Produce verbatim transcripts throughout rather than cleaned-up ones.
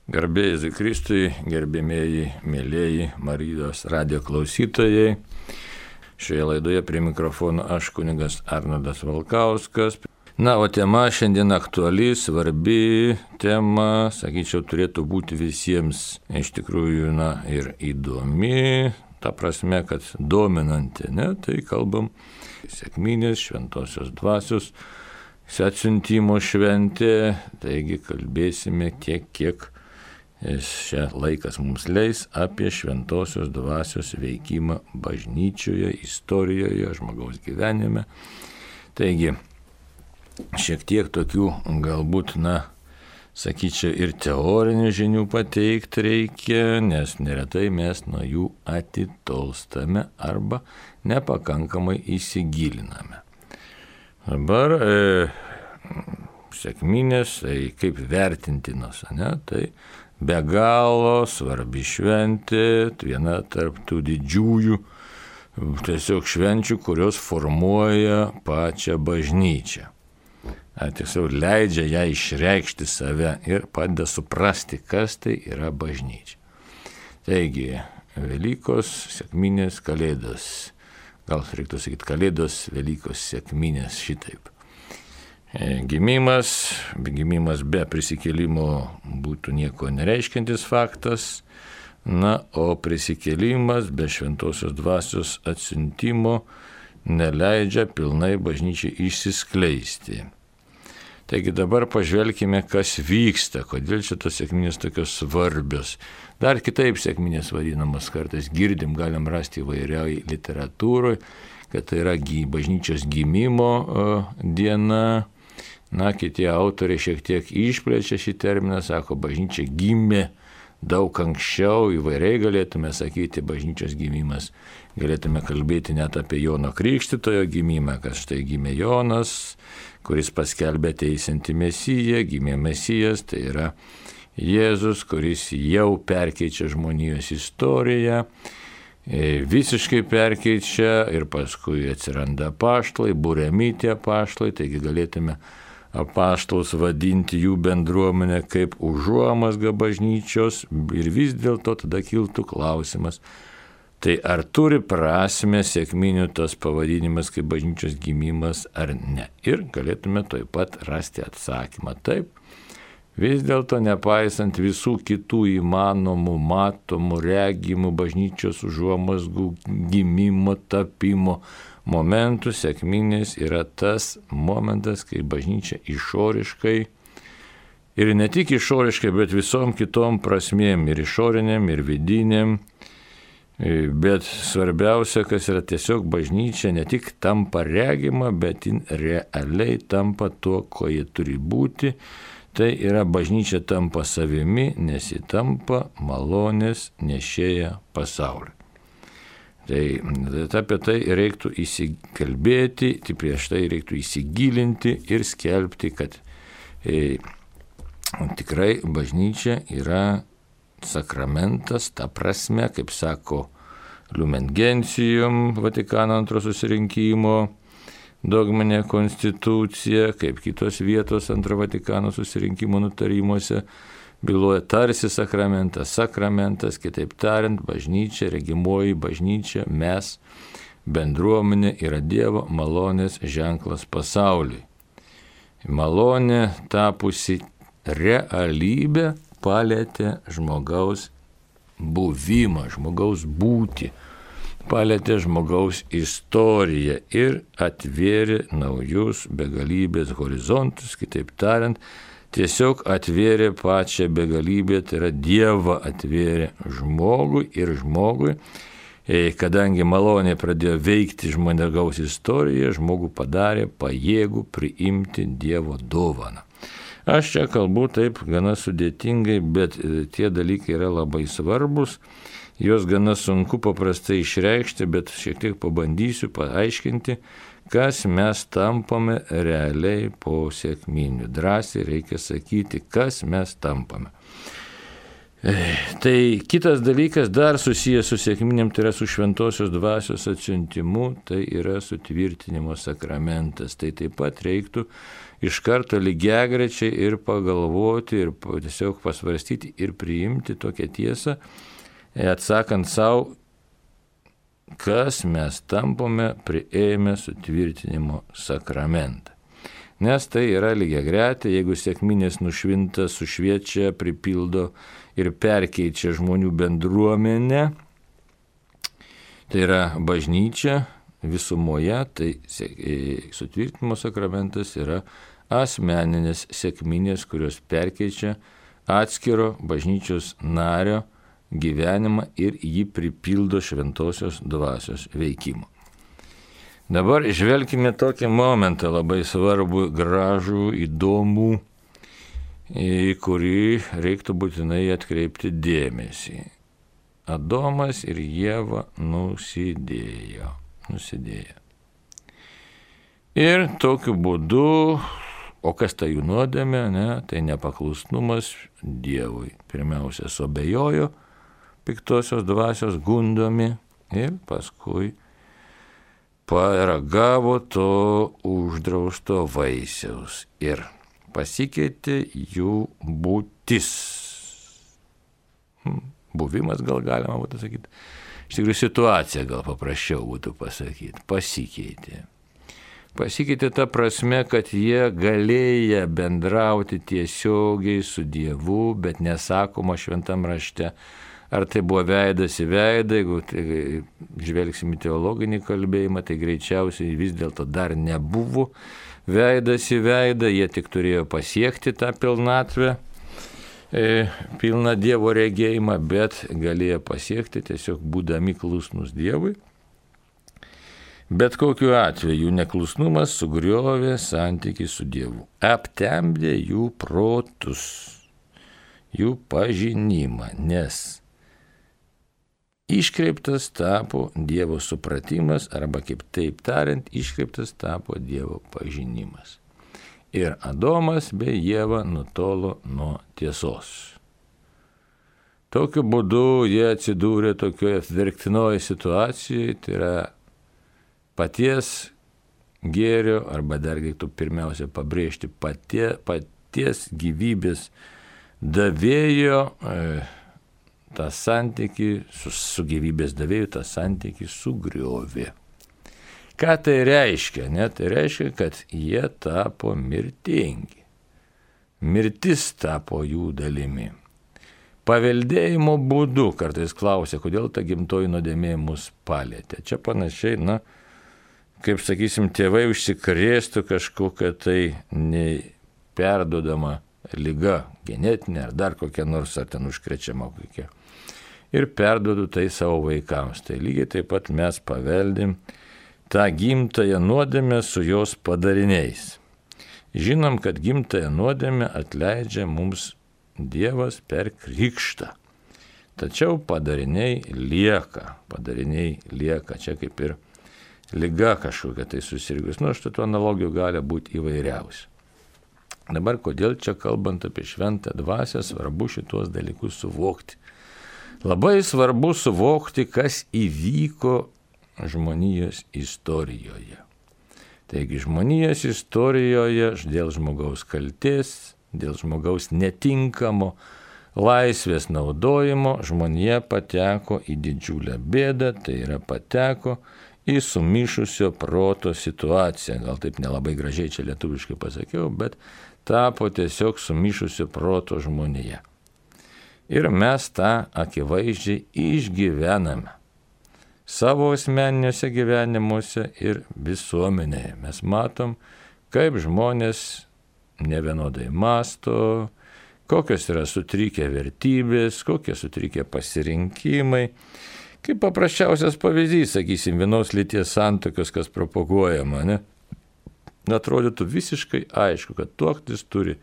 Garbė Jėzui Kristui, gerbėmieji, mėlieji Marijos radijo klausytojai. Šioje laidoje prie mikrofono aš kunigas Arnoldas Valkauskas. Na, o tema šiandien aktuali, svarbi tema, sakyčiau, turėtų būti visiems iš tikrųjų, na, ir įdomi, ta prasme, kad dominanti, ne, tai kalbam sekminės, šventosios dvasios, atsiuntimo šventė, taigi kalbėsime tiek, kiek šią laikas mums leis apie šventosios dvasios veikimą bažnyčioje, istorijoje, žmogaus gyvenime. Taigi, šiek tiek tokių galbūt, na, sakyčiau, ir teorinių žinių pateikti reikia, nes neretai mes nuo jų atitolstame arba nepakankamai įsigiliname. Dabar e, sekminės, tai kaip vertintinos, ne, tai be galo svarbi šventė, viena tarp tų didžiųjų tiesiog švenčių, kurios formuoja pačią bažnyčią. Tiesiog leidžia ją išreikšti save ir padeda suprasti, kas tai yra bažnyčia. Taigi, Velykos, sekminės, kalėdos. Gal reiktų sakyti kalėdos, Velykos, sekminės, šitaip. Gimimas, gimimas be prisikėlimo būtų nieko nereiškiantis faktas, na, o prisikėlimas be šventosios dvasios atsiuntimo neleidžia pilnai bažnyčiai išsiskleisti. Taigi dabar pažvelkime, kas vyksta, kodėl šitos sekminės tokios svarbios. Dar kitaip sekminės vadinamas kartais girdim, galim rasti įvairiai literatūroje, kad tai yra bažnyčios gimimo diena. Na, kiti autoriai šiek tiek išplečia šį terminą, sako, bažnyčia gimė daug anksčiau, įvairiai galėtume sakyti, bažnyčios gimimas. Galėtume kalbėti net apie Jono Krikštytojo gimimą, kad štai gimė Jonas, kuris paskelbė teisiantį Mesiją, gimė Mesijas, tai yra Jėzus, kuris jau perkeičia žmonijos istoriją, visiškai perkeičia ir paskui atsiranda apaštalai, buriami tie apaštalai, taigi galėtume apaštalus vadinti jų bendruomenę kaip užuomazgą bažnyčios ir vis dėlto tada kiltų klausimas, tai ar turi prasmę sekminių tas pavadinimas kaip bažnyčios gimimas ar ne. Ir galėtume taip pat rasti atsakymą. Taip, vis dėlto nepaisant visų kitų įmanomų, matomų, regimų bažnyčios užuomazgų gimimo, tapimo momentų, sekminės yra tas momentas, kai bažnyčia išoriškai ir ne tik išoriškai, bet visom kitom prasmėm, ir išoriniam, ir vidiniam, bet svarbiausia, kas yra tiesiog bažnyčia ne tik tampa regima, bet jin realiai tampa tuo, ko jie turi būti. Tai yra bažnyčia tampa savimi, nes ji tampa malonės nešėja pasauliu. Tai apie tai reiktų įsikalbėti, tai prieš tai reiktų įsigilinti ir skelbti, kad e, tikrai bažnyčia yra sakramentas, ta prasme, kaip sako Lumen Gentium, Vatikano antro susirinkimo dogminė konstitucija, kaip kitos vietos antro Vatikano susirinkimo nutarimuose, byloja tarsi sakramentas, sakramentas, kitaip tariant, bažnyčia, regimoji bažnyčia, mes, bendruomenė yra Dievo malonės ženklas pasauliui. Malonė tapusi realybė palietė žmogaus buvimą, žmogaus būtį, palietė žmogaus istoriją ir atvėrė naujus begalybės horizontus, kitaip tariant, tiesiog atvėrė pačią begalybę, tai yra Dievą atvėrė žmogui ir žmogui, kadangi malonė pradėjo veikti žmogaus istoriją, žmogų padarė pajėgų priimti Dievo dovaną. Aš čia kalbu taip gana sudėtingai, bet tie dalykai yra labai svarbus, juos gana sunku paprastai išreikšti, bet šiek tiek pabandysiu paaiškinti, kas mes tampame realiai po sekminių. Drąsiai reikia sakyti, kas mes tampame. Tai kitas dalykas dar susijęs su sekminėm, tai yra su šventosios dvasios atsiuntimu, tai yra sutvirtinimo sakramentas. Tai taip pat reiktų iš karto lygiagrečiai ir pagalvoti, ir tiesiog pasvarstyti, ir priimti tokią tiesą, atsakant savo, kas mes tampame priėmę sutvirtinimo sakramentą. Nes tai yra lygiagretė, jeigu sekminės nušvinta, sušviečia, pripildo ir perkeičia žmonių bendruomenę, tai yra bažnyčia visumoje, tai sutvirtinimo sakramentas yra asmeninės sekminės, kurios perkeičia atskiro bažnyčios nario gyvenimą ir jį pripildo šventosios dvasios veikimu. Dabar žvelkime tokį momentą labai svarbų, gražų, įdomų, į kurį reiktų būtinai atkreipti dėmesį. Adomas ir Ieva nusidėjo. nusidėjo. Ir tokiu būdu, o kas tai jų nuodėmė, ne, tai nepaklusnumas Dievui. Pirmiausia, suabejojo piktosios dvasios gundomi ir paskui paragavo to uždrausto vaisiaus ir pasikeitė jų būtis. Buvimas gal galima būtų sakyti. Iš tikrųjų situacija gal paprasčiau būtų pasakyti. Pasikeitė. Pasikeitė ta prasme, kad jie galėję bendrauti tiesiogiai su Dievu, bet nesakoma šventam rašte. Ar tai buvo veidas į veidą, jeigu tai, žvelgsim į teologinį kalbėjimą, tai greičiausiai vis dėlto dar nebuvo veidas į veidą, jie tik turėjo pasiekti tą pilnatvę, e, pilną Dievo regėjimą, bet galėjo pasiekti tiesiog būdami klusnus Dievui. Bet kokiu atveju neklusnumas sugriovė santykį su Dievu, aptemdė jų protus, jų pažinimą, nes iškreiptas tapo Dievo supratimas, arba kaip taip tariant, iškreiptas tapo Dievo pažinimas. Ir Adomas bei Ieva nutolo nuo tiesos. Tokiu būdu jie atsidūrė tokioje verktinoje situacijoje, tai yra paties gėrio, arba dar reiktų pirmiausia pabrėžti patie, paties gyvybės davėjo, e, tą santykį su, su gyvybės davėju, tą santykį sugriovė. Ką tai reiškia? Ne? Tai reiškia, kad jie tapo mirtingi. Mirtis tapo jų dalimi. Paveldėjimo būdu, kartais klausia, kodėl ta gimtoji nuodėmė mus palėtė. Čia panašiai, na, kaip sakysim, tėvai užsikrėstų kažkokią tai neperdodama liga, genetinė ar dar kokia nors, ar ten užkrečiama kokia. Ir perduodu tai savo vaikams. Tai lygiai taip pat mes paveldim tą gimtąją nuodėmę su jos padariniais. Žinom, kad gimtąją nuodėmę atleidžia mums Dievas per krikštą. Tačiau padariniai lieka, padariniai lieka. Čia kaip ir liga kažkokia tai susirgus. Nu, štai tų analogijų gali būti įvairiausių. Dabar, kodėl čia kalbant apie šventą dvasią, svarbu šitos dalykus suvokti. Labai svarbu suvokti, kas įvyko žmonijos istorijoje. Taigi žmonijos istorijoje dėl žmogaus kaltės, dėl žmogaus netinkamo laisvės naudojimo žmonija pateko į didžiulę bėdą, tai yra pateko į sumišusio proto situaciją. Gal taip nelabai gražiai čia lietuviškai pasakiau, bet tapo tiesiog sumišusio proto žmonija. Ir mes tą akivaizdžiai išgyvename savo asmeniniuose gyvenimuose ir visuomenėje. Mes matom, kaip žmonės nevienodai masto, kokios yra sutrikę vertybės, kokie sutrikę pasirinkimai. Kaip paprasčiausias pavyzdys, sakysim, vienos lyties santuokos, kas propaguojama, ne? Atrodytų visiškai aišku, kad tuoktis turi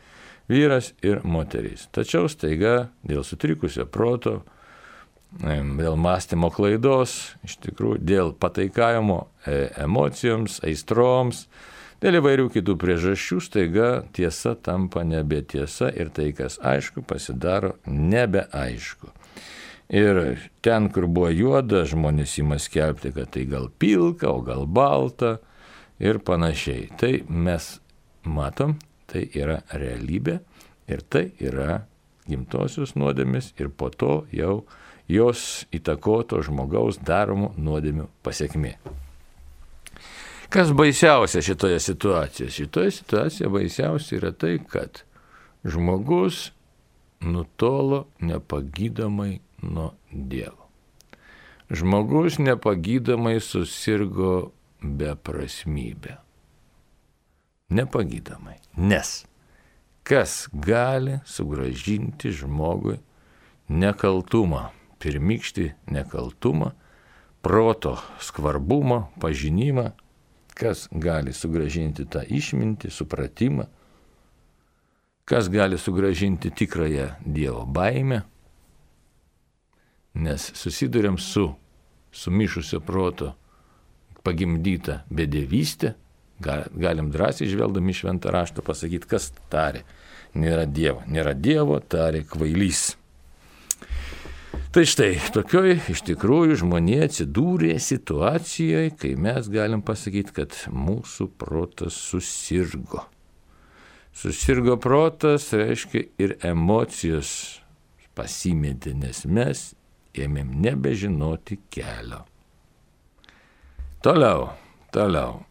vyras ir moteris. Tačiau staiga dėl sutrikusio proto, dėl mąstymo klaidos, iš tikrųjų dėl pataikavimo emocijoms, aistroms, dėl įvairių kitų priežasčių staiga tiesa tampa nebetiesa ir tai, kas aišku, pasidaro nebeaišku. Ir ten, kur buvo juoda, žmonės ima skelbti, kad tai gal pilka, o gal balta ir panašiai. Tai mes matom, Tai yra realybė ir tai yra gimtosios nuodėmės ir po to jau jos įtakoto žmogaus daromų nuodėmių pasiekmė. Kas baisiausia šitoje situacijoje? Šitoje situacijoje baisiausia yra tai, kad žmogus nutolo nepagydomai nuo Dievo. Žmogus nepagydomai susirgo beprasmybę. Nepagydomai. Nes kas gali sugrąžinti žmogui nekaltumą, pirmykštį nekaltumą, proto skvarbumą, pažinimą, kas gali sugrąžinti tą išmintį, supratimą, kas gali sugrąžinti tikrąją Dievo baimę, nes susiduriam su sumišusio proto pagimdyta bedevystė, galim drąsiai žvelgdami šventą raštą pasakyti, kas tarė, nėra Dievo, nėra Dievo, tarė kvailys. Tai štai, tokioj iš tikrųjų žmonė atsidūrė situacijoje, kai mes galim pasakyti, kad mūsų protas susirgo. Susirgo protas, reiškia ir emocijos pasimetė, nes mes ėmėm nebežinoti kelio. Toliau, toliau.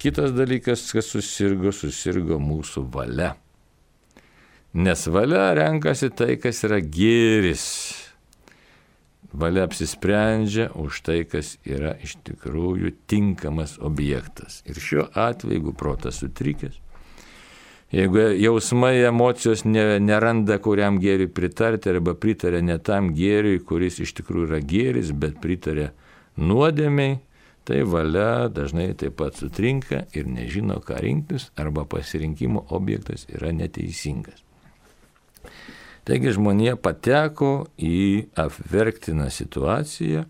Kitas dalykas, kas susirgo, susirgo mūsų valia. Nes valia renkasi tai, kas yra gėris. Valia apsisprendžia už tai, kas yra iš tikrųjų tinkamas objektas. Ir šiuo atveju, jeigu protas sutrikęs, jeigu jausmai, emocijos neranda, kuriam gėriui pritarti, arba pritarė ne tam gėriui, kuris iš tikrųjų yra gėris, bet pritarė nuodėmiai, tai valia dažnai taip pat sutrinka ir nežino, ką rinktis, arba pasirinkimo objektas yra neteisingas. Taigi žmonija pateko į apverktiną situaciją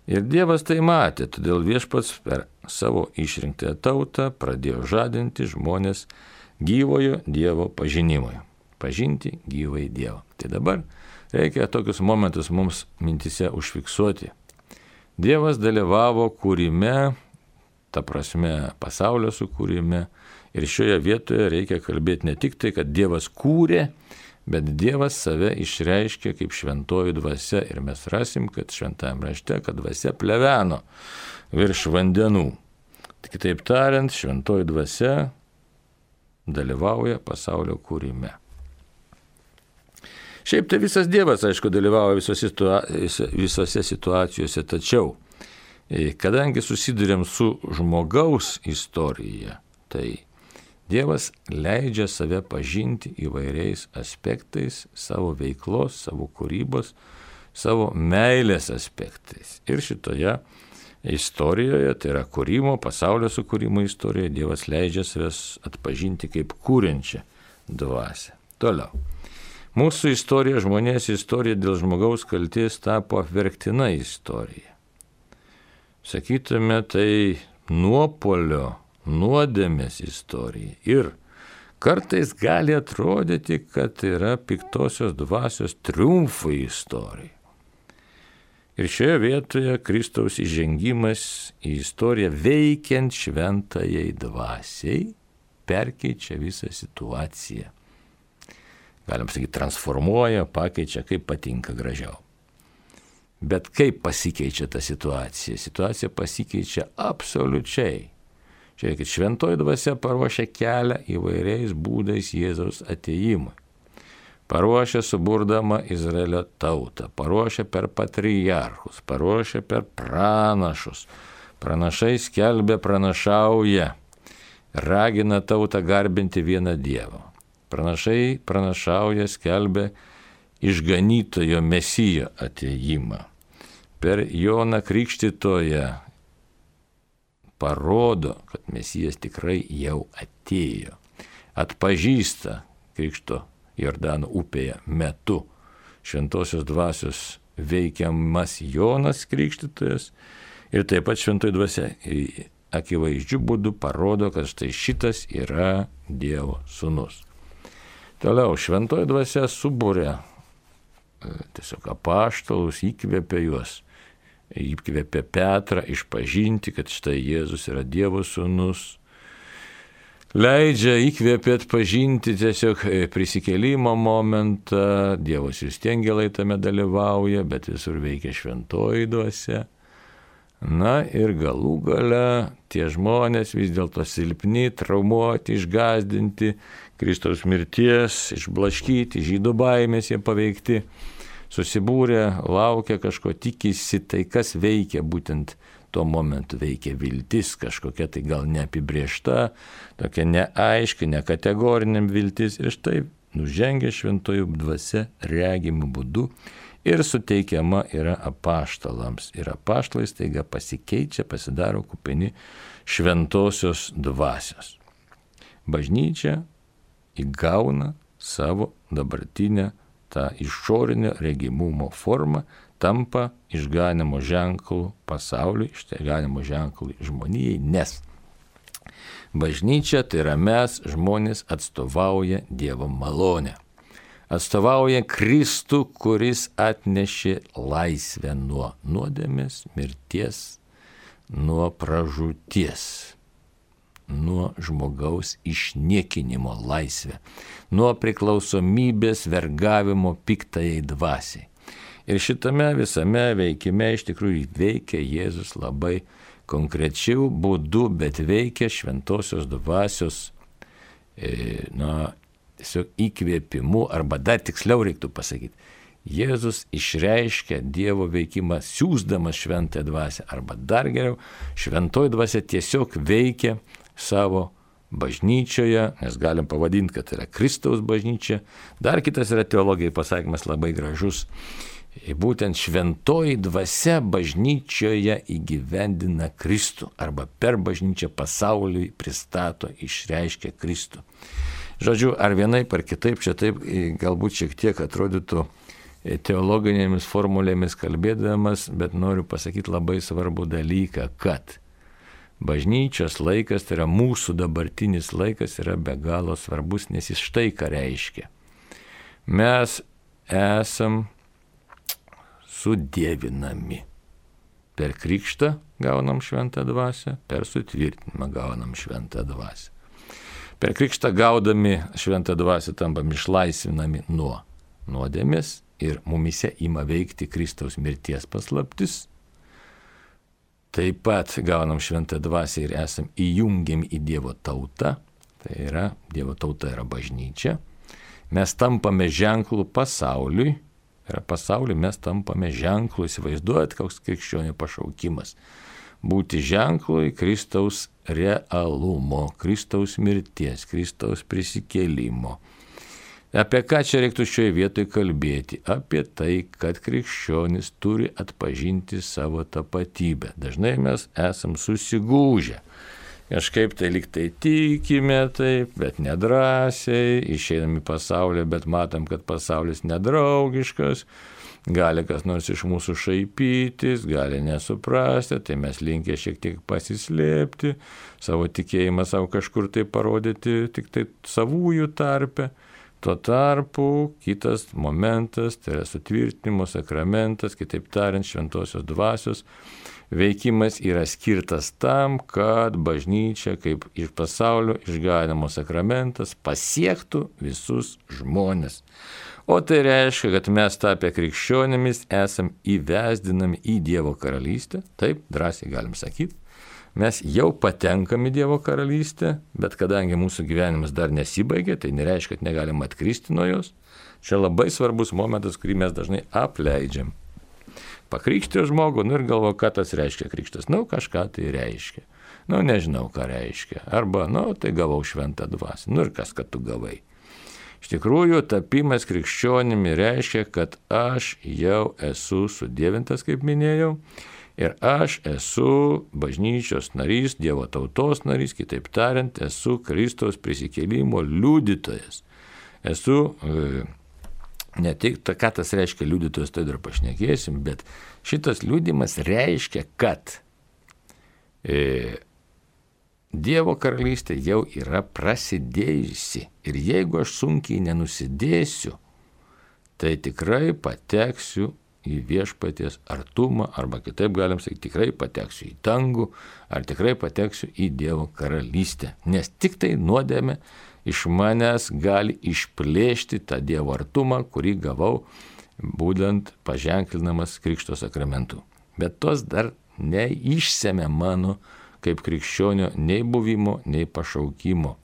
ir Dievas tai matė, todėl viešpats per savo išrinktąją tautą pradėjo žadinti žmonės gyvojo Dievo pažinimui. Pažinti gyvąjį Dievą. Tai dabar reikia tokius momentus mums mintise užfiksuoti. Dievas dalyvavo kūrime, ta prasme pasaulio sukūrime, ir šioje vietoje reikia kalbėti ne tik tai, kad Dievas kūrė, bet Dievas save išreiškė kaip šventoji dvasia ir mes rasim, kad šventajame rašte, kad dvasia pleveno virš vandenų. Kitaip tariant, šventoji dvasia dalyvauja pasaulio kūrime. Šiaip tai visas Dievas, aišku, dalyvauja visose, situa- visose situacijose, tačiau kadangi susidurėm su žmogaus istorija, tai Dievas leidžia save pažinti įvairiais aspektais savo veiklos, savo kūrybos, savo meilės aspektais. Ir šitoje istorijoje, tai yra kūrimo, pasaulio sukūrimo istorijoje, Dievas leidžia savęs atpažinti kaip kūrenčią dvasią. Toliau. Mūsų istorija, žmonės istorija dėl žmogaus kalties tapo apverktina istorija. Sakytume, tai nuopuolio, nuodėmės istorija. Ir kartais gali atrodyti, kad yra piktosios dvasios triumfo istorija. Ir šioje vietoje Kristaus įžengimas į istoriją veikiant šventajai dvasiai perkeičia visą situaciją. Galim sakyti, transformuoja, pakeičia, kaip patinka gražiau. Bet kaip pasikeičia ta situacija? Situacija pasikeičia absoliučiai. Žiūrėkit, šventoji dvasia paruošia kelią įvairiais būdais Jėzaus atėjimui. Paruošia suburdama Izraelio tautą, paruošia per patriarchus, paruošia per pranašus. Pranašai skelbia, pranašauja, ragina tautą garbinti vieną Dievą. Pranašai pranašauja, skelbia išganytojo Mesijo atėjimą. Per Joną Krikštytoją parodo, kad Mesijas tikrai jau atėjo. Atpažįsta Krikšto Jordano upėje metu šventosios dvasios veikiamas Jonas Krikštytojas ir taip pat šventoji dvasia akivaizdžių būdų parodo, kad štai šitas yra Dievo sūnus. Toliau, šventoji dvasia subūrė tiesiog apaštalus, įkvėpė juos. Įkvėpė Petrą išpažinti, kad štai Jėzus yra Dievo sūnus. leidžia, įkvėpia atpažinti tiesiog prisikėlimo momentą, Dievo siųsti angelai tame dalyvauja, bet visur veikia šventoji dvasia. Na ir galų gale tie žmonės vis dėlto silpni, traumuoti, išgąsdinti, Kristaus mirties, išblaškyti, žydų baimės jie paveikti, susibūrė, laukia kažko, tikisi, tai kas veikia būtent tuo momentu veikia viltis, kažkokia tai gal neapibriešta, tokia neaiški, nekategoriniam viltis ir štai nužengia šventoji dvasia regimų būdu ir suteikiama yra apaštalams. Ir apaštalai staiga pasikeičia, pasidaro kupini šventosios dvasios. Bažnyčia įgauna savo dabartinę tą išorinio regimumo formą, tampa išganimo ženklų pasauliui, išganimo ženklų žmonijai, nes bažnyčia, tai yra mes, žmonės, atstovauja Dievo malonę. Atstovauja Kristų, kuris atnešė laisvę nuo nuodėmės, mirties, nuo pražūties, nuo žmogaus išniekinimo laisvę, nuo priklausomybės vergavimo piktajai dvasiai. Ir šitame visame veikime iš tikrųjų veikia Jėzus labai konkrečių būdų, bet veikia šventosios dvasios e, na, tiesiog įkvėpimu, arba dar tiksliau reiktų pasakyti, Jėzus išreiškia Dievo veikimą siųsdamas šventąją dvasią, arba dar geriau, šventoji dvasia tiesiog veikia savo bažnyčioje, nes galim pavadinti, kad yra Kristaus bažnyčia. Dar kitas yra teologijai pasakymas labai gražus. Būtent šventoji dvasia bažnyčioje įgyvendina Kristų arba per bažnyčią pasauliui pristato, išreiškia Kristų. Žodžiu, ar vienaip ar kitaip, čia taip galbūt šiek tiek atrodytų teologinėmis formulėmis kalbėdamas, bet noriu pasakyti labai svarbų dalyką, kad bažnyčios laikas, tai yra mūsų dabartinis laikas, yra be galo svarbus, nes jis štai ką reiškia. Mes esam sudievinami. Per krikštą gaunam šventą dvasią, per sutvirtinimą gaunam šventą dvasią. Per krikštą gaudami šventą dvasią tampam išlaisvinami nuo nuodėmės ir mumise ima veikti Kristaus mirties paslaptis. Taip pat gaunam šventą dvasią ir esam įjungiami į Dievo tautą, tai yra, Dievo tauta yra bažnyčia. Mes tampame ženklų pasauliui, yra pasauliui mes tampame ženklų, įsivaizduojat, koks krikščionių pašaukimas. Būti ženklui Kristaus realumo, Kristaus mirties, Kristaus prisikėlimo. Apie ką čia reiktų šioje vietoje kalbėti? Apie tai, kad krikščionis turi atpažinti savo tapatybę. Dažnai mes esam susigūžę. Kažkaip tai lyg tai tikime taip, bet nedrąsiai, išeinam į pasaulį, bet matom, kad pasaulis nedraugiškas, gali kas nors iš mūsų šaipytis, gali nesuprasti, tai mes linkę šiek tiek pasislėpti, savo tikėjimą savo kažkur tai parodyti tik tai savųjų tarpe. Tuo tarpu kitas momentas, tai yra sutvirtinimo sakramentas, kitaip tariant, šventosios dvasios veikimas yra skirtas tam, kad bažnyčia kaip iš pasaulio išganimo sakramentas pasiektų visus žmones. O tai reiškia, kad mes tapę krikščionimis esam įvesdinami į Dievo karalystę, taip drąsiai galim sakyti. Mes jau patenkam į Dievo karalystę, bet kadangi mūsų gyvenimas dar nesibaigė, tai nereiškia, kad negalim atkristi nuo jos. Čia labai svarbus momentas, kurį mes dažnai apleidžiam. Pakrikštė žmogų, nu ir galvo, ką tas reiškia krikštas. Nu, kažką tai reiškia. Nu, nežinau, ką reiškia. Arba, nu, tai gavau šventą dvasią. Nu ir kas, kad tu gavai. Iš tikrųjų, tapimas krikščionimi reiškia, kad aš jau esu sudievintas, kaip minėjau, ir aš esu bažnyčios narys, Dievo tautos narys, kitaip tariant, esu Kristaus prisikėlimo liudytojas. Esu, e, ne tik, ką tas reiškia liudytojas, tai dar pašnekėsim, bet šitas liudymas reiškia, kad e, Dievo karalystė jau yra prasidėjusi. Ir jeigu aš sunkiai nenusidėsiu, tai tikrai pateksiu į viešpaties artumą, arba kitaip galim sakyti, tikrai pateksiu į dangų, ar tikrai pateksiu į Dievo karalystę. Nes tik tai nuodėmė iš manęs gali išplėšti tą Dievo artumą, kurį gavau būtent paženklinamas Krikšto sakramentu. Bet tos dar neišsemia mano kaip krikščionio nei buvimo, nei pašaukimo.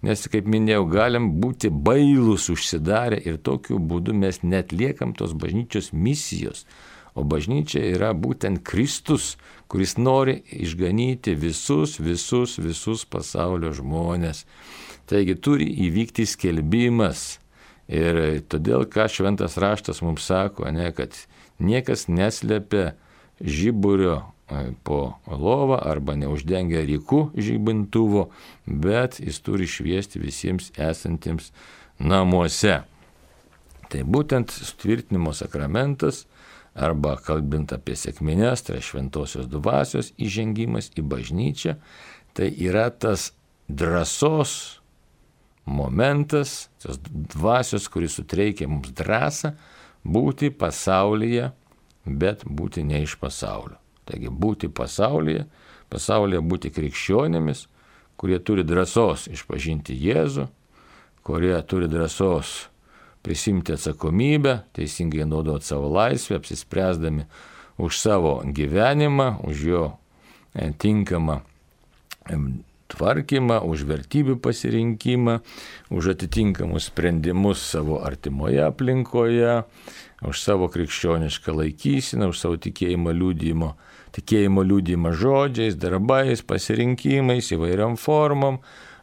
Nes, kaip minėjau, galim būti bailūs užsidarę ir tokiu būdu mes netliekam tos bažnyčios misijos. O bažnyčia yra būtent Kristus, kuris nori išganyti visus, visus, visus pasaulio žmonės. Taigi turi įvykti skelbimas. Ir todėl, ką šventas raštas mums sako, ne, kad niekas neslepia žiburio po lovą arba neuždengia ryku žibintuvo, bet jis turi šviesti visiems esantiems namuose. Tai būtent sutvirtinimo sakramentas, arba kalbint apie sekmines, tai šventosios dvasios įžengimas į bažnyčią, tai yra tas drąsos momentas, tos dvasios, kuris suteikia mums drąsą būti pasaulyje, bet būti ne iš pasaulio. Taigi būti pasaulyje, pasaulyje būti krikščionėmis, kurie turi drąsos išpažinti Jėzų, kurie turi drąsos prisimti atsakomybę, teisingai naudoti savo laisvę, apsispręsdami už savo gyvenimą, už jo tinkamą tvarkymą, už vertybių pasirinkimą, už atitinkamus sprendimus savo artimoje aplinkoje, už savo krikščionišką laikysiną, už savo tikėjimo liudijimo, tikėjimo liudijimą žodžiais, darbais, pasirinkimais, įvairiom formom.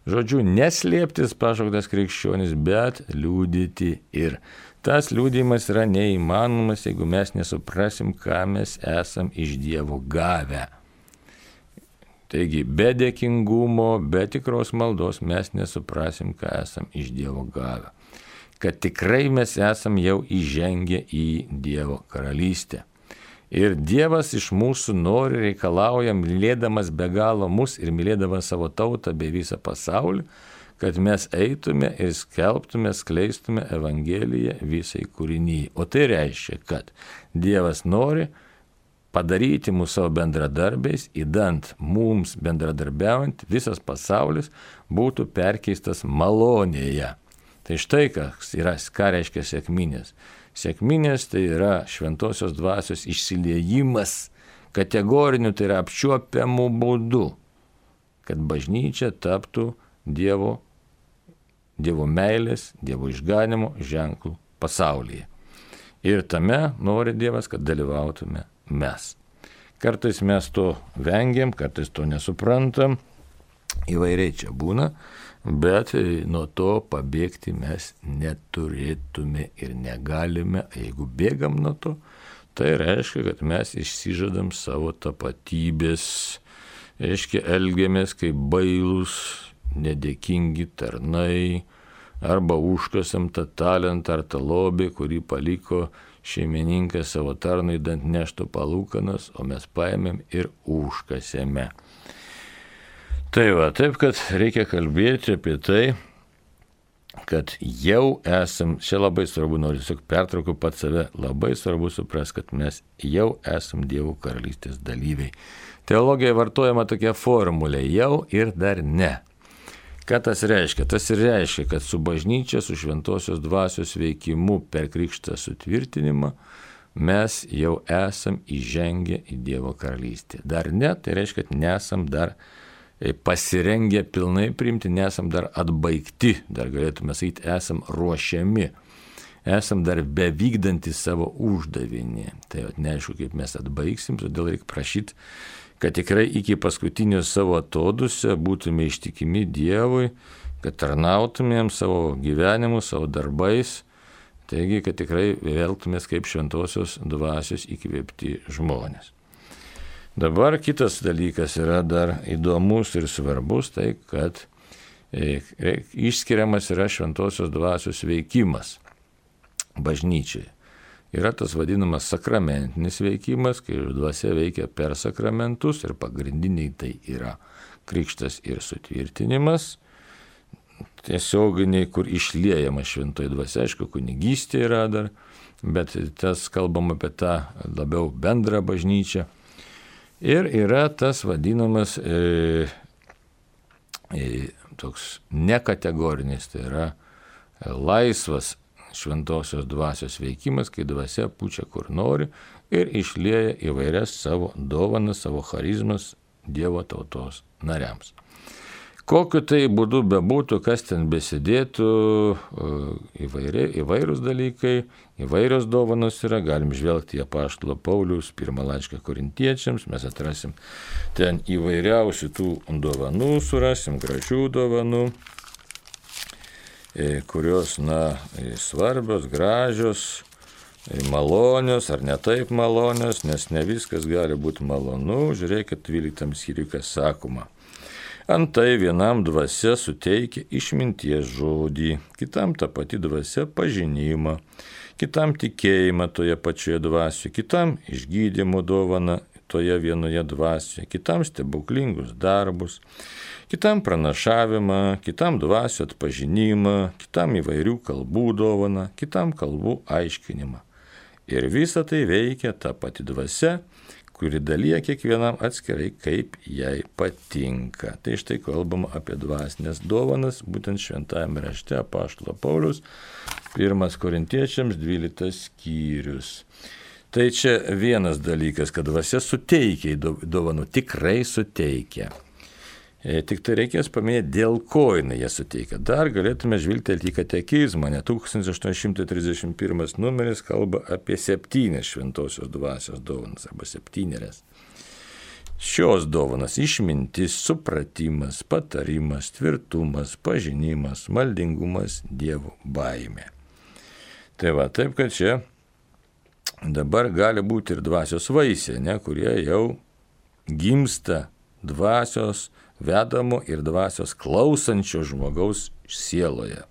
Žodžiu, neslėptis pašauktas krikščionis, bet liudyti. Ir tas liudijimas yra neįmanomas, jeigu mes nesuprasim, ką mes esam iš Dievo gavę. Taigi, be dėkingumo, be tikros maldos mes nesuprasim, ką esam iš Dievo gavę. Kad tikrai mes esam jau įžengę į Dievo karalystę. Ir Dievas iš mūsų nori, reikalauja, mylėdamas be galo mus ir mylėdamas savo tautą bei visą pasaulį, kad mes eitume ir skelbtume, skleistume Evangeliją visai kūrinyjai. O tai reiškia, kad Dievas nori padaryti mūsų savo bendradarbiais, įdant mums bendradarbiaujant, visas pasaulis būtų perkeistas malonėje. Tai štai kas yra, ką reiškia sekminės. Sekminės tai yra šventosios dvasios išsiliejimas kategoriniu, tai yra apčiuopiamų būdų, kad bažnyčia taptų Dievo, Dievo meilės, Dievo išganimo ženklų pasaulyje. Ir tame nori Dievas, kad dalyvautume mes. Kartais mes to vengiam, kartais to nesuprantam, įvairiai čia būna, bet nuo to pabėgti mes neturėtume ir negalime. Jeigu bėgam nuo to, tai reiškia, kad mes išsižadam savo tapatybės, reiškia, elgiamės kaip bailūs, nedėkingi tarnai, arba užkasam tą talentą ar tą lobį, kurį paliko šeimininkas savo tarnui, dant neštų palūkanas, o mes paėmėm ir užkasėme. Tai va, taip, kad reikia kalbėti apie tai, kad jau esam, čia labai svarbu, noriu tiesiog pertraukti pat save, labai svarbu supras, kad mes jau esam Dievo karalystės dalyviai. Teologijoje vartojama tokia formulė, jau ir dar ne. Ką tas reiškia? Tas ir reiškia, kad su bažnyčia, su šventosios dvasios veikimu per krikštą sutvirtinimą mes jau esam įžengę į Dievo karalystę. Dar ne, tai reiškia, kad nesam dar pasirengę pilnai priimti, nesam dar atbaigti, dar galėtume sakyti, esam ruošiami, esam dar bevykdantys savo uždavinį. Tai neaišku, kaip mes atbaigsim, todėl reikia prašyti, kad tikrai iki paskutinio savo atodusio būtume ištikimi Dievui, kad tarnautumėm savo gyvenimu, savo darbais, taigi, kad tikrai elgtumės kaip šventosios dvasios įkvėpti žmonės. Dabar kitas dalykas yra dar įdomus ir svarbus, tai kad išskiriamas yra šventosios dvasios veikimas bažnyčiai. Yra tas vadinamas sakramentinis veikimas, kai dvasia veikia per sakramentus ir pagrindiniai tai yra krikštas ir sutvirtinimas, tiesioginiai, kur išliejama šventoji dvasia, aišku, kunigystė yra dar, bet tas kalbam apie tą labiau bendrą bažnyčią. Ir yra tas vadinamas e, e, toks nekategorinis, tai yra laisvas šventosios dvasios veikimas, kai dvasia pučia kur nori ir išlieja įvairias savo dovanas, savo charizmas Dievo tautos nariams. Kokiu tai būdu bebūtų, kas ten besidėtų, įvairi, įvairūs dalykai, įvairios dovanos yra, galim žvelgti į apaštalo Pauliaus pirmą laišką korintiečiams, mes atrasim ten įvairiausių tų dovanų, surasim gražių dovanų, kurios, na, svarbios, gražios, malonios ar ne taip malonios, nes ne viskas gali būti malonu. Žiūrėkit, dvyliktam skyriui, kas sakoma. Antai vienam dvasia suteikia išminties žodį, kitam ta pati dvasia pažinimą, kitam tikėjimą toje pačioje dvasioje, kitam išgydymo dovaną toje vienoje dvasioje, kitam stebuklingus darbus, kitam pranašavimą, kitam dvasio atpažinimą, kitam įvairių kalbų dovaną, kitam kalbų aiškinimą. Ir visa tai veikia ta pati dvasia, kuri dalyja kiekvienam atskirai, kaip jai patinka. Tai štai kalbama apie dvasinės dovanas, būtent šventajame rašte apaštalo Pauliaus, pirmas korintiečiams dvyliktas skyrius. Tai čia vienas dalykas, kad dvasia suteikia dovanų, tikrai suteikia. E, tik tai reikės paminėti, dėl ko jinai jas suteikia. Dar galėtume žvilgtelti į katekizmą, ne tūkstantis aštuoni šimtai trisdešimt pirmas numeris kalba apie septynias šventosios dvasios dovanas arba septynerias. Šios dovanas išmintis, supratimas, patarimas, tvirtumas, pažinimas, maldingumas, Dievo baimė. Tai va, taip kad čia dabar gali būti ir dvasios vaisiai, ne, kurie jau gimsta dvasios vedamo ir dvasios klausančio žmogaus sieloje.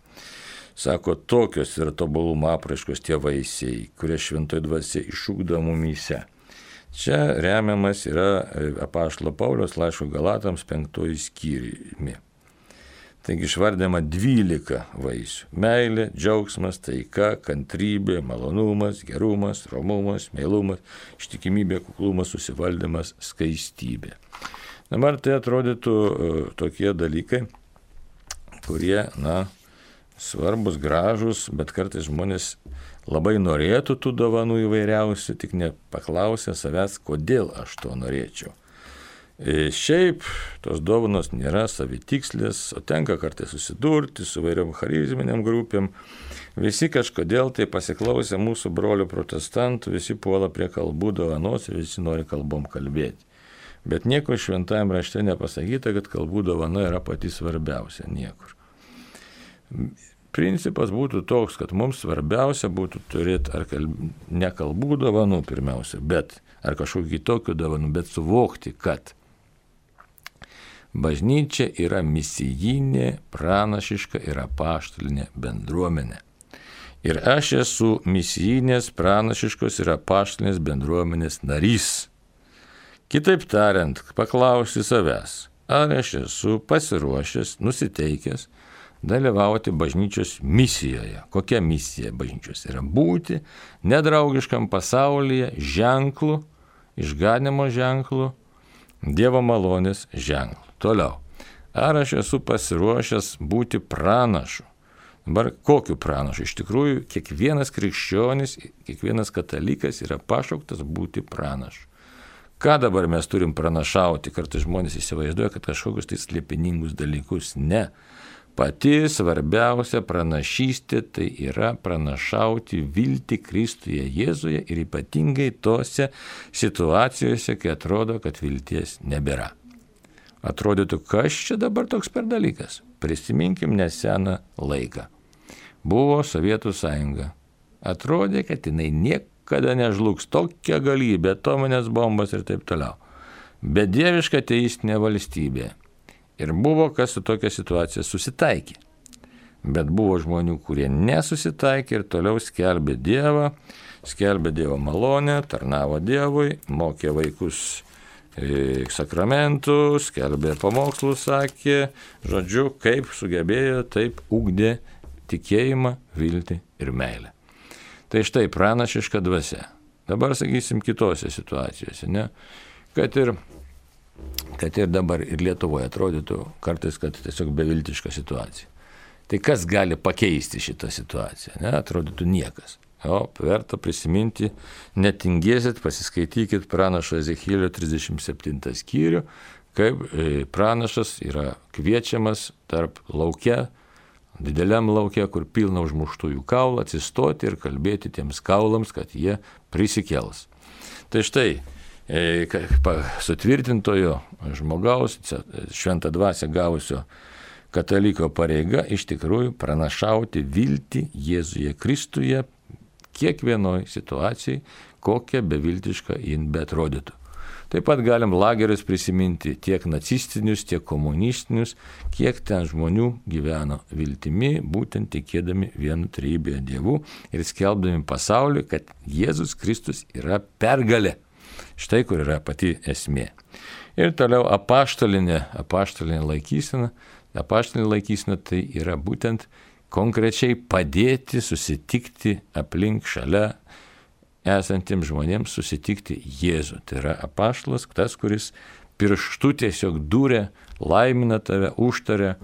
Sako, tokios yra tobulumo apraiškos tie vaisiai, kurie šventoji dvasia išugdo mumyse. Čia remiamas yra apaštalo Pauliaus laiško Galatams penktoji skyriumi. Taigi išvardėma dvylika vaisių. Meilė, džiaugsmas, taika, kantrybė, malonumas, gerumas, romumas, meilumas, ištikimybė, kuklumas, susivaldymas, skaistybė. Dabar tai atrodytų tokie dalykai, kurie, na, svarbus, gražus, bet kartais žmonės labai norėtų tų dovanų įvairiausių, tik nepaklausė savęs, kodėl aš to norėčiau. E, šiaip tos dovanos nėra savitikslės, o tenka kartais susidurti su vairiom charizminiam grupėm. Visi kažkodėl tai pasiklausė mūsų brolių protestantų, visi puola prie kalbų dovanos ir visi nori kalbom kalbėti. Bet nieko šventajame rašte nepasakyta, kad kalbų dovana yra pati svarbiausia, niekur. Principas būtų toks, kad mums svarbiausia būtų turėti ar kalb... ne kalbų dovanų pirmiausia, bet ar kažkokių kitokių dovanų, bet suvokti, kad bažnyčia yra misijinė, pranašiška ir apaštalinė bendruomenė. Ir aš esu misijinės, pranašiškos ir apaštalinės bendruomenės narys. Kitaip tariant, paklausti savęs, ar aš esu pasiruošęs, nusiteikęs dalyvauti bažnyčios misijoje. Kokia misija bažnyčios yra? Būti nedraugiškam pasaulyje ženklu, išganimo ženklu, Dievo malonės ženklu. Toliau, ar aš esu pasiruošęs būti pranašu? Dabar kokiu pranašu? Iš tikrųjų, kiekvienas krikščionis, kiekvienas katalikas yra pašauktas būti pranašu. Ką dabar mes turim pranašauti? Kartais žmonės įsivaizduoja, kad kažkokius tai slėpiningus dalykus. Ne. Pati svarbiausia pranašystė tai yra pranašauti viltį Kristuje Jėzuje ir ypatingai tose situacijose, kai atrodo, kad vilties nebėra. Atrodytų, kas čia dabar toks per dalykas? Prisiminkim neseną laiką. Buvo Sovietų sąjunga. Atrodė, kad jinai nieko kada nežlugs, tokia galybė, atominės bombos ir taip toliau. Bedieviška teistinė valstybė. Ir buvo, kas su tokia situacija susitaikė. Bet buvo žmonių, kurie nesusitaikė ir toliau skelbė Dievą, skelbė Dievo malonę, tarnavo Dievui, mokė vaikus e, sakramentų, skelbė pamokslus, sakė, žodžiu, kaip sugebėjo, taip ugdė tikėjimą, viltį ir meilę. Tai štai pranašiška dvasia. Dabar sakysim kitose situacijose, ne? Kad ir, kad ir dabar ir Lietuvoje atrodytų kartais, kad tiesiog beviltiška situacija. Tai kas gali pakeisti šitą situaciją? Ne? Atrodytų niekas. O verta prisiminti, netingėsit, pasiskaitykit pranašo Ezechielio trisdešimt septintą skyrių, kaip pranašas yra kviečiamas tarp lauke, dideliam lauke, kur pilna užmuštųjų kaulų, atsistoti ir kalbėti tiems kaulams, kad jie prisikels. Tai štai, sutvirtintojo žmogaus, šventą dvasią gavusio kataliko pareiga iš tikrųjų pranašauti viltį Jėzuje Kristuje kiekvienoj situacijai, kokia beviltiška jin beatrodytų. Taip pat galim lagerius prisiminti tiek nacistinius, tiek komunistinius, kiek ten žmonių gyveno viltimi, būtent tikėdami vienu trejybėje Dievu ir skelbdami pasauliui, kad Jėzus Kristus yra pergalė. Štai kur yra pati esmė. Ir toliau apaštalinė, apaštalinė laikysena. Apaštalinė laikysena tai yra būtent konkrečiai padėti susitikti aplink šalia esantiems žmonėms susitikti Jėzų. Tai yra apaštalas, tas, kuris pirštu tiesiog dūrė, laimina tave, užtaria,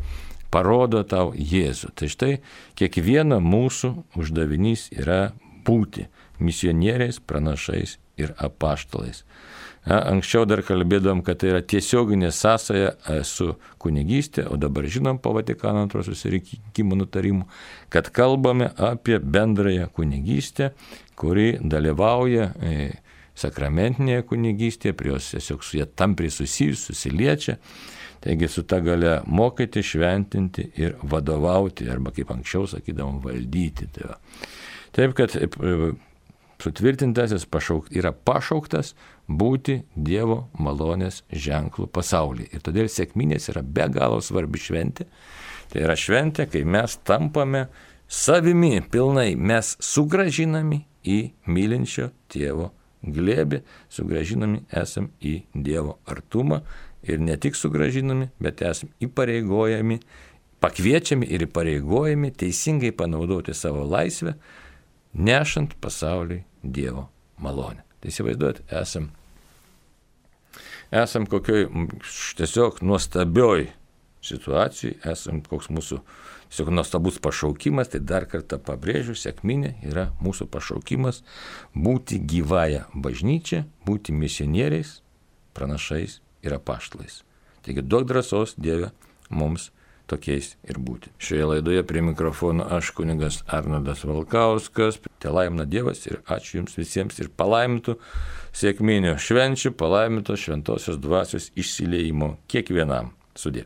parodo tau Jėzų. Tai štai kiekvieno mūsų uždavinys yra būti misionieriais, pranašais ir apaštalais. Anksčiau dar kalbėdom, kad tai yra tiesioginė sąsaja su kunigystė, o dabar žinom po Vatikano antrojo susirinkimo nutarimų, kad kalbame apie bendrąją kunigystę, kuri dalyvauja sakramentinėje kunigystėje, prie jos tiesiog su jie tampriai susijus, susiliečia, taigi su ta galia mokyti, šventinti ir vadovauti, arba kaip anksčiau sakydavom, valdyti. Tai taip, kad sutvirtintasis pašauk, yra pašauktas būti Dievo malonės ženklų pasaulyje. Ir todėl sekminės yra be galo svarbi šventė. Tai yra šventė, kai mes tampame savimi pilnai, mes sugrąžinami į mylinčio tėvo glėbį, sugrąžinami esam į Dievo artumą ir ne tik sugrąžinami, bet esam įpareigojami, pakviečiami ir įpareigojami teisingai panaudoti savo laisvę, nešant pasauliui Dievo malonę. Tai įsivaizduot, esam, esam kokioj tiesiog nuostabioj situacijai, esam koks mūsų tiesiog nuostabus pašaukimas, tai dar kartą pabrėžiu, sekminė yra mūsų pašaukimas būti gyvąją bažnyčią, būti misionieriais, pranašais ir apaštalais. Taigi duok drąsos Dieve mums tokiais ir būti. Šioje laidoje prie mikrofono aš kunigas Arnoldas Valkauskas. Te laimina Dievas ir ačiū Jums visiems ir palaimintų sekminių švenčių, palaimintos šventosios dvasios išsiliejimo kiekvienam. Sudie.